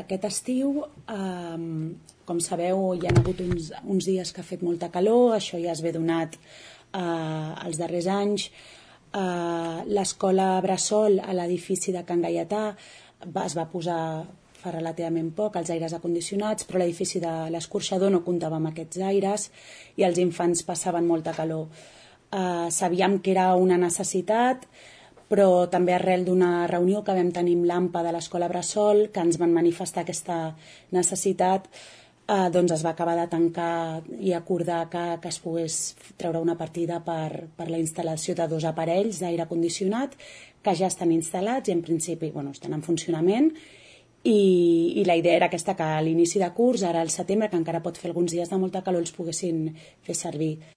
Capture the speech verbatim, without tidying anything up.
Aquest estiu, eh, com sabeu, hi ha hagut uns, uns dies que ha fet molta calor, això ja es ve donat eh, els darrers anys. Eh, L'escola Bressol a l'edifici de Can Gaietà va, es va posar fa relativament poc els aires acondicionats, però l'edifici de l'Escorxador no comptava amb aquests aires i els infants passaven molta calor. Eh, sabíem que era una necessitat, però també arrel d'una reunió que vam tenir amb l'AMPA de l'Escola Bressol, que ens van manifestar aquesta necessitat, eh, doncs es va acabar de tancar i acordar que, que es pogués treure una partida per, per la instal·lació de dos aparells d'aire condicionat que ja estan instal·lats i en principi bueno, estan en funcionament, i, i la idea era aquesta, que a l'inici de curs, ara al setembre, que encara pot fer alguns dies de molta calor, els poguessin fer servir.